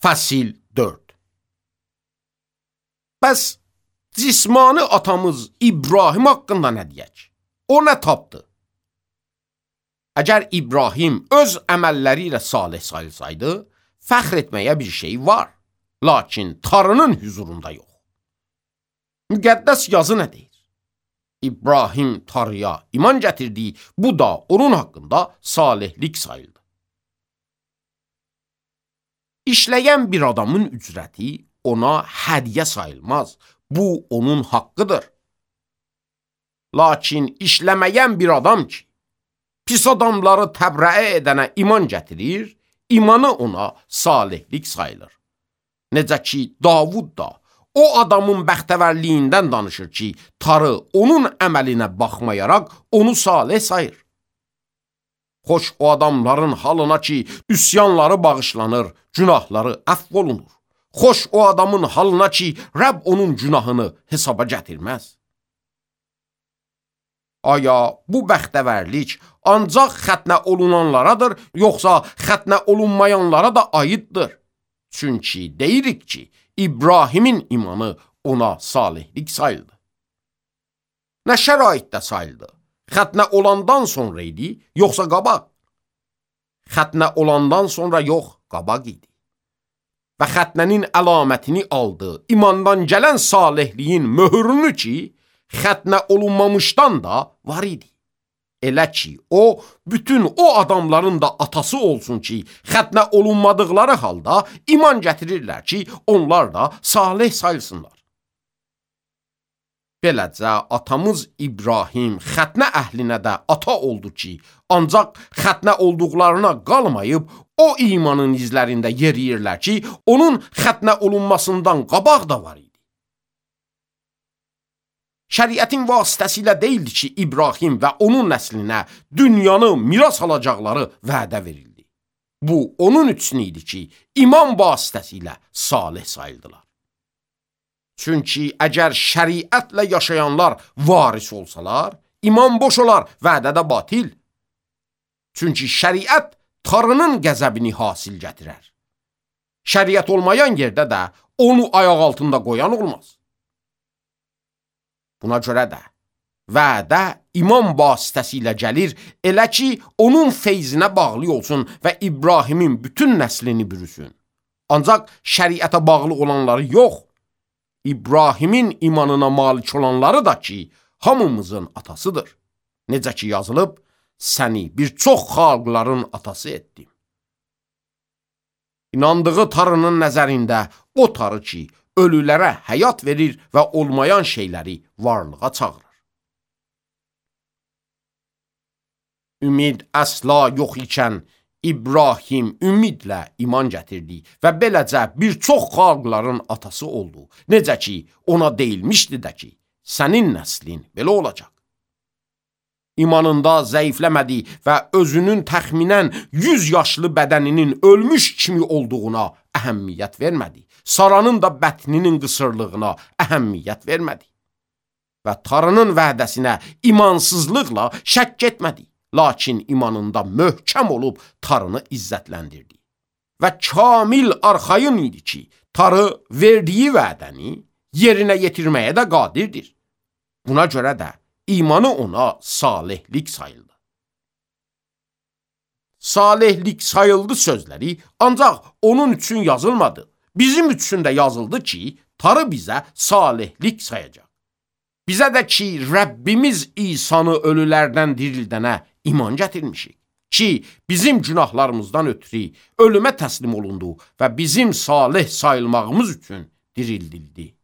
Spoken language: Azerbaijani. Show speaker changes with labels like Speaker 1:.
Speaker 1: Fəsil 4. Bəs cismani atamız İbrahim haqqında nə deyək? O nə tapdı? Əgər İbrahim öz əməlləri ilə salih sayılsaydı, fəxr etməyə bir şey var. Lakin Tanrının huzurunda yox. Müqəddəs yazı nə deyir? İbrahim Tanrıya iman gətirdi, bu da onun haqqında salihlik sayıldı. İşləyən bir adamın ücrəti ona hədiyyə sayılmaz. Bu onun haqqıdır. Lakin işləməyən bir adam ki, pis adamları təbrəə edənə iman gətirir, imanı ona salihlik sayılır. Necə ki, Davud da o adamın bəxtəvərliyindən danışır ki, Tanrı onun əməlinə baxmayaraq onu salih sayır. Xoş o adamların halına ki, üsyanları bağışlanır, günahları əfv olunur. Xoş o adamın halına ki, Rəbb onun günahını hesaba gətirməz. Aya bu bəxtəvərlik ancaq xətnə olunanlaradır, yoxsa xətnə olunmayanlara da aiddir? Çünki deyirik ki, İbrahimin imanı ona salihlik sayıldı. Nə şəraitdə sayıldı? Xətnə olandan sonra idi, yoxsa qabaq? Xətnə olandan sonra yox, qabaq idi. Və xətnənin əlamətini aldı, imandan gələn salihliyin möhürünü ki, xətnə olunmamışdan da var idi. Elə ki, o, bütün o adamların da atası olsun ki, xətnə olunmadıqları halda iman gətirirlər ki, onlar da salih sayılsınlar. Beləcə, atamız İbrahim xətnə əhlinə də ata oldu ki, ancaq xətnə olduqlarına qalmayıb, o imanın izlərində yeriyirlər ki, onun xətnə olunmasından qabaq da var idi. Şəriətin vasitəsilə deyildi ki, İbrahim və onun nəslinə dünyanı miras alacaqları vədə verildi. Bu, onun üçün idi ki, iman vasitəsilə salih sayıldılar. Çünki əgər şəriətlə yaşayanlar varis olsalar, iman boş olar, vədə də batil. Çünki şəriət Tanrının qəzəbini hasil gətirər. Şəriət olmayan yerdə də onu ayaq altında qoyan olmaz. Buna görə də vədə iman vasitəsilə gəlir, elə ki, onun feyzinə bağlı olsun və İbrahimin bütün nəslini bürüsün. Ancaq şəriətə bağlı olanları yox, İbrahimin imanına malik olanları da ki, hamımızın atasıdır. Necə ki yazılıb, səni bir çox xalqların atası etdim. İnandığı Tanrının nəzərində o Tanrı ki, ölülərə həyat verir və olmayan şeyləri varlığa çağırır. Ümid əsla yox ikən İbrahim ümidlə iman gətirdi və beləcə bir çox xalqların atası oldu. Necə ki, ona deyilmişdi də ki, sənin nəslin belə olacaq. İmanında zəifləmədi və özünün təxminən 100 yaşlı bədəninin ölmüş kimi olduğuna əhəmmiyyət vermədi. Saranın da bətninin qısırlığına əhəmmiyyət vermədi. Və Tanrının vədəsinə imansızlıqla şəkk etmədi. Lakin imanında möhkəm olub Tanrını izzətləndirdi. Və kamil arxayın idi ki, Tanrı verdiyi vədəni yerinə yetirməyə də qadirdir. Buna görə də imanı ona salihlik sayıldı. Salihlik sayıldı sözləri ancaq onun üçün yazılmadı. Bizim üçün də yazıldı ki, Tanrı bizə salihlik sayacaq. Bizə də ki, Rəbbimiz İsanı ölülərdən dirildənə iman gətirmişik. Ki, bizim günahlarımızdan ötürü ölümə təslim olundu və bizim salih sayılmağımız üçün dirildildi.